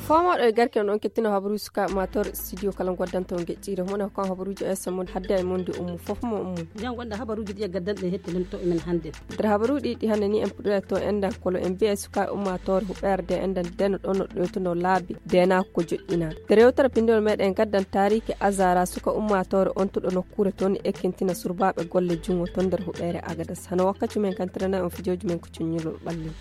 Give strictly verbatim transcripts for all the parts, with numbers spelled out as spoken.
Komoɗo e garke on on kettino habaruuji sukaaɓe ummaatoore studio kala ngoddanto ngeƴƴiire mone ko kan habaruuji o yesa mon hadde e monde ummu fof mo ummu. Jan gonda habaruuji ɗi e gaddanɗe hettinanto e men hannde. Nder habaruuji ɗi hannde ni en puɗɗoyat to endan kolo en mbiya sukaaɓe ummaatoore huɓeerde endan deno ɗon no ɗoytuno laabi dena ko joɗɗina. Nder yewtere pinndol meɗen gaddan taariki azara suka ummaatoore on tuɗo nokkuure toon ekkintina surbaaɓe golle junngo toon nder huɓeere agadas hano wakkati men kantirana on fijooji men ko cuññulol ɓalli.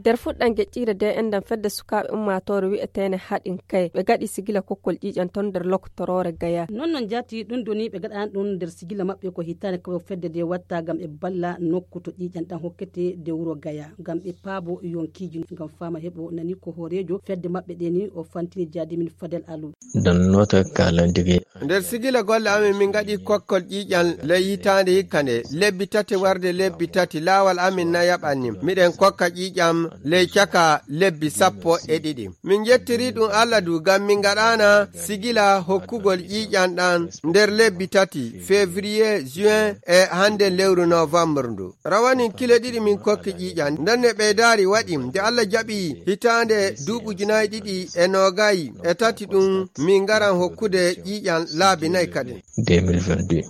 Nder fuɗɗan geƴƴiire de enɗan fedde sukaaɓe ummaatoore wi'eteene haɗin kay ɓe gaɗi sigila kokkol ƴiiƴan ton nder lokotoroore gaya. Non non jaati ɗum doni ɓe gaɗani ɗum nder sigila maɓɓe ko hitaane ko fedde de watta ngam ɓe balla nokku to ƴiiƴan ɗan hokkete de wuro gaya ngam ɓe paabo yonkiiji ngam faama heɓo nani ko hooreejo fedde maɓɓe ɗe ni o fantini jaadimin fadel alu. Donnoto kalandiri. Nder sigila golle amin min ngaɗi kokkol ƴiiƴan ley hitaande hikka nde lebbi tati warde lebbi tati laawal amin na yaɓanni miɗen kokka ƴiiƴam ley caka lebbi sappo e ɗiɗi. Min njettiri ɗum allah du ngam min ngaɗaana sigila hokkugol ƴiiƴan ɗan nder lebbi tati février juin e hannde lewru novembre ndu. Rawanin kile ɗiɗi min kokki ƴiiƴan nden ne ɓeydaari waɗi nde allah jaɓi hitaande duuɓi ujunaaji ɗiɗi e noogayi e tati ɗum min ngaran hokkude ƴiiƴan laabi nayi kadi. Deux mille vingt-deux.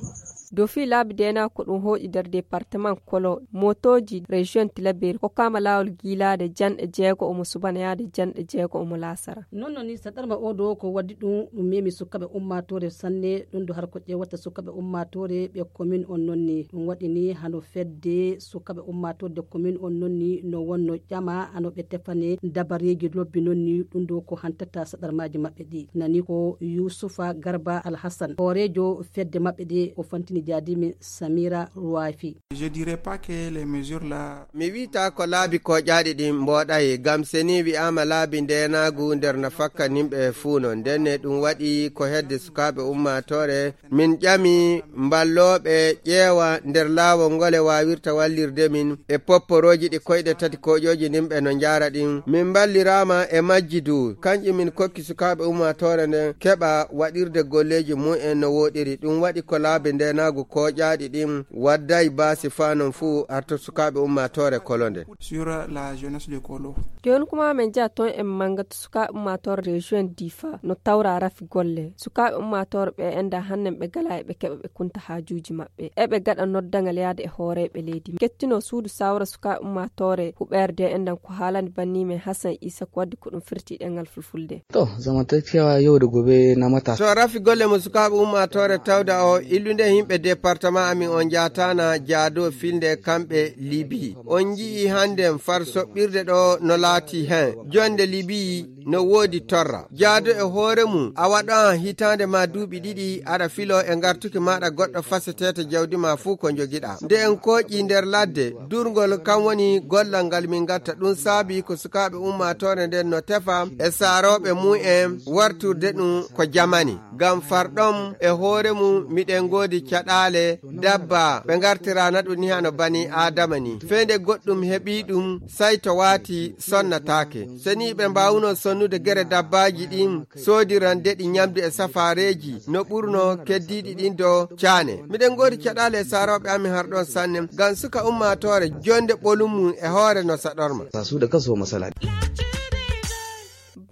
Dow fii laabi deenaa ko ɗum hooƴi nder departement kolo motooji région tilaberi kokkaama laawol giilaade janɗe jeego omo subana yaade janɗe jeego omo laasara. Non non ni saɗarma o do ko waddi ɗum ɗum memi sukkaɓe ummaatoore sanne ɗum do har ko ƴeewata sukkaɓe ummaatoore ɓe commune on non ni ɗum waɗi ni hano fedde sukkaɓe ummaatoore de commune on non ni no wonno ƴama hano ɓe tefane dabareeji lobbi non ni ɗum do ko hantata saɗarmaaji maɓɓe ɗi nani ko yusufa garba alhassan hooreejo fedde maɓɓe ɗe o fantini jaadimi samira ruwafi. Je dirais pas que les mesures là. Mi wi'ata ko laabi kooƴaaɗi ɗin mbooɗayi ngam seni wi'aama laabi ndeenaagu nder no fakka nimɓe fuu non ndenne ɗum waɗi ko hedde sukaaɓe ummaatoore min ƴami mballooɓe ƴeewa nder laawol ngole waawirta wallirde min e popporooji ɗi koyɗe tati kooƴooji nimɓe no njaara ɗin min mballiraama e majji du kanƴi min kokki sukaaɓe ummaatoore nden keɓa waɗirde golleeji mumen no wooɗiri ɗum waɗi ko laabi ndeenaagu kooƴaaɗi ɗin wadday baasi faa non fuu arto sukaaɓe ummaatoore kolo nden. Sur la jeunesse de kolo. Jooni kuma men njaha toon en manga to sukaaɓe ummaatoore région difa no tawra rafi golle sukaaɓe ummaatoore ɓe enda hannen ɓe gala e ɓe keɓa ɓe kunta haajuuji maɓɓe eɓe gaɗa noddangal yaade e hooreeɓe leydi kettino suudu sawra sukaaɓe ummaatoore huɓeerde endan ko haalani banni men hasan isa ko waddi ko ɗum firti ɗengal fulfulde. To zamantakewa yau da gobe na matasa. To rafi golle mo sukaaɓe ummaatoore tawda o illude yimɓe département amin on njaataana jaado filnde kamɓe libi on nji'i hannden far soɓɓirde ɗo no laati hen jonde libi no woodi torra jaado e hoore mum a waɗa hitaande ma duuɓi ɗiɗi aɗa filo e ngartuki maɗa goɗɗo faseteete jawdi ma fuu ko njogiɗa nde en kooƴi nder ladde durngol kam woni gollal ngal min ngatta ɗum saabi ko sukaaɓe ummaatoore nden no tefa e saarooɓe mum en warturde ɗum ko jamani ngam farɗon e hoore mum miɗen ngoodi caɗaale dabba ɓe ngartirana ɗum ni hano bani aadama ni feende goɗɗum heɓi ɗum say to waati sonnataake seni ɓe mbaawuno sonnude gere dabbaaji ɗin soodiran deɗi ñamdu e safaareeji no ɓurno keddiiɗi ɗin do caane miɗen ngoodi caɗaale e saarooɓe amin har ɗon sanne ngam suka ummaatoore jonde ɓolum mum e hoore no saɗorma. Sa suuɗa kaso masala.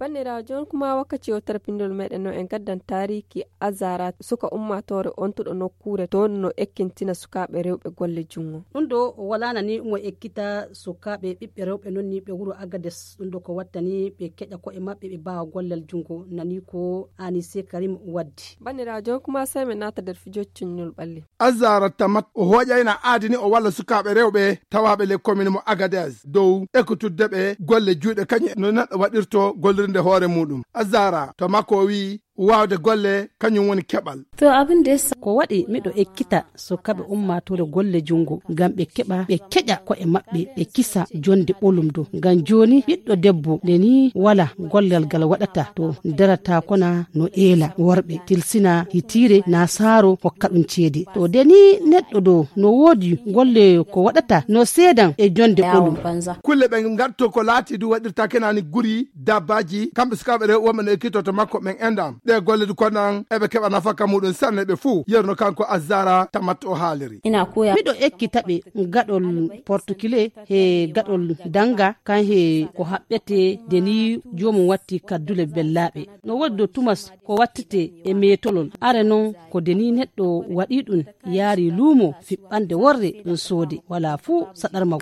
Banniraawo jooni kuma wakkati o tarpindol meɗen no en gaddan taariki azara suka ummaatoore ontuɗo nokkuure toon no ekkintina sukaaɓe rewɓe golle junngo. Ɗum ɗo walaana ni mo ekkita sukaaɓe ɓiɓɓe rewɓe noon ni ɓe wuro agades ɗum ɗo ko wattani ɓe keƴa koye maɓɓe ɓe mbaawa gollal junngo nani ko anise karim waddi. Banniraajo kuma sey min naata nder fijo cuññol ɓalli. Azara tamat o hooƴayna aadi ni o walla sukaaɓe rewɓe tawaaɓe le commune mo agades dow ekkitudde ɓe golle juuɗe kañum no neɗɗo waɗirto gollirde hoore muɗum. Azara to makko o wi'i waawde golle kañum woni keɓal. To abin da ya sa ko waɗi miɗo ekkita sukaaɓe ummaatoore golle junngo ngam ɓe keɓa ɓe keƴa ko'e maɓɓe ɓe kisa jonde ɓolum dow ngam jooni ɓiɗɗo debbo nde ni wala gollal ngal waɗata to darata kona no eela worɓe tilsina hitiire na saaro hokka ɗum ceede to de ni neɗɗo dow no woodi golle ko waɗata no seedan e jonde ɓolum. Kulle ɓe ngatto ko laati du waɗirta kenani guri dabbaaji kamɓe sukaaɓe rewɓe wonɓe no ekkito to makko ɓen enɗam. Ɗe golle du kono an eɓe keɓa nafaka muɗum sanne ɓe fuu. Yerno kanko Azara Tamat o haaliri. Miɗo ekkita ɓe gaɗol Portugais he gaɗol Danga, kan he ko haɓɓete de ni joomum watti kaddule bellaaɓe. No woodi do tumas ko wattete e meetolol. Are noon ko de ni neɗɗo waɗi ɗum yaari luumo fiɓɓande worre ɗum soode. Walaa fuu saɗarma.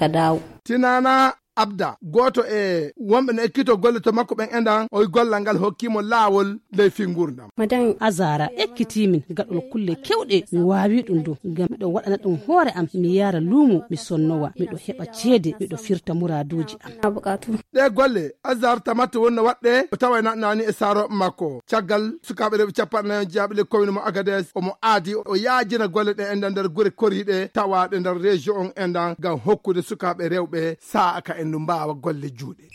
Tinana Abda, gooto e wonɓe no ekkito golle to makko ɓen endan, o wi gollal ngal hokkii mo laawol ley fii nguurndam. Azara ekkitii min gaɗol kulle kewɗe, mi waawi ɗum do, ngam miɗo waɗana ɗum hoore am, mi yaara luumo, mi sonnowa, miɗo heɓa ceede, miɗo firta muraaduuji am. Ɗee golle, Azar Tamat wonno waɗde, o tawa naɗnaani e saarooɓe makko. Caggal sukaaɓe rewɓe capanɗe nayi on jeyaaɓe ley commune mo Agades, omo aadi, o yaajina golle ɗe endan nder gure koriiɗe tawaaɗe nder région on endan, ngam hokkude sukaaɓe rewɓe sa'a ka en no mbaawa golle juuɗe.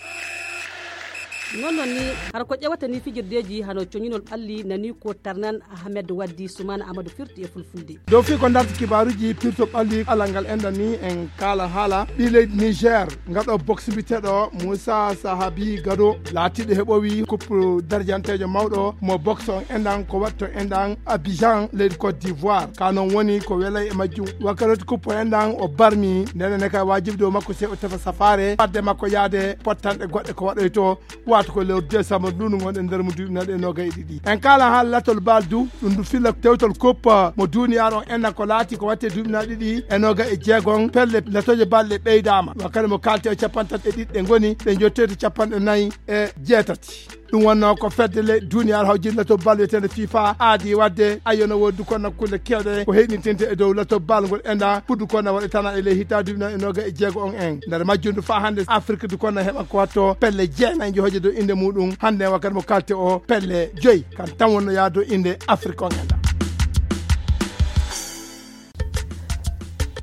Noon noon ni, hara ko ƴewata ni fijirdeeji hano coñinol ɓalli nani ko Tarnan Ahmed Waddi Sumana Amadou firti e fulfulde. Dow fii ko darti kibaaruuji pirto ɓalli alal ngal enɗan ni en kaala haala ɓii leydi Niger, ngaɗo boxe mbiyeteeɗo Moussa Sahabi Gado laatiiɗo heɓowi coupe darjanteejo mawɗo mo boxe on enɗan ko waɗto enɗan Abidjan leydi Côte d'Ivoire. Ka noon woni ko welay e majjum. Wakkati coupe enɗan o barmi, ndenen ne kay waajibi dow makko sey o tefa safaare fadde makko yaade pottanɗe goɗɗe ko waɗoyto, wato ko lewru décembre ndu ndu ngonɗen nder mo duuɓi naɗe noga e ɗiɗi. En kaala haala latol bal du, ɗum ndu filla tewtol coupe mo duniyaaru on enɗan ko laati ko watte duuɓi naɗe ɗiɗi e noga e jeegon, pelle latoje bal ɗe ɓeydaama. Wakkati mo kaalte o capantato e ɗiɗi ɗe ngoni, ɗe jottoyta capanɗe nayi e jeetati. Ɗum wonno ko fedde le duniyaaru hawjinde lato bal wiyeteende fifa aadi wadde, ayyo, no woodi du kono kulle kewɗe ko heyɗintinte e dow lato bal ngol enɗan, pour du kono waɗetana e ley hitaande duuɓi nayi e noga e jeego on en. Nder majjum du faa hannde Afrique du kono heɓa ko watto pelle jeenayi njohoje dow innde muɗum. Hannde wakkati mo kalte o pelle joyi kan tan wonno yaa dow innde Afrique on enɗan.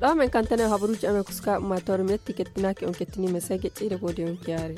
Ɗo men kantane habaruuji amen ko suka ummatore metti kettinaaki on kettiniima sey geƴƴiire ko wodi on kiyaare.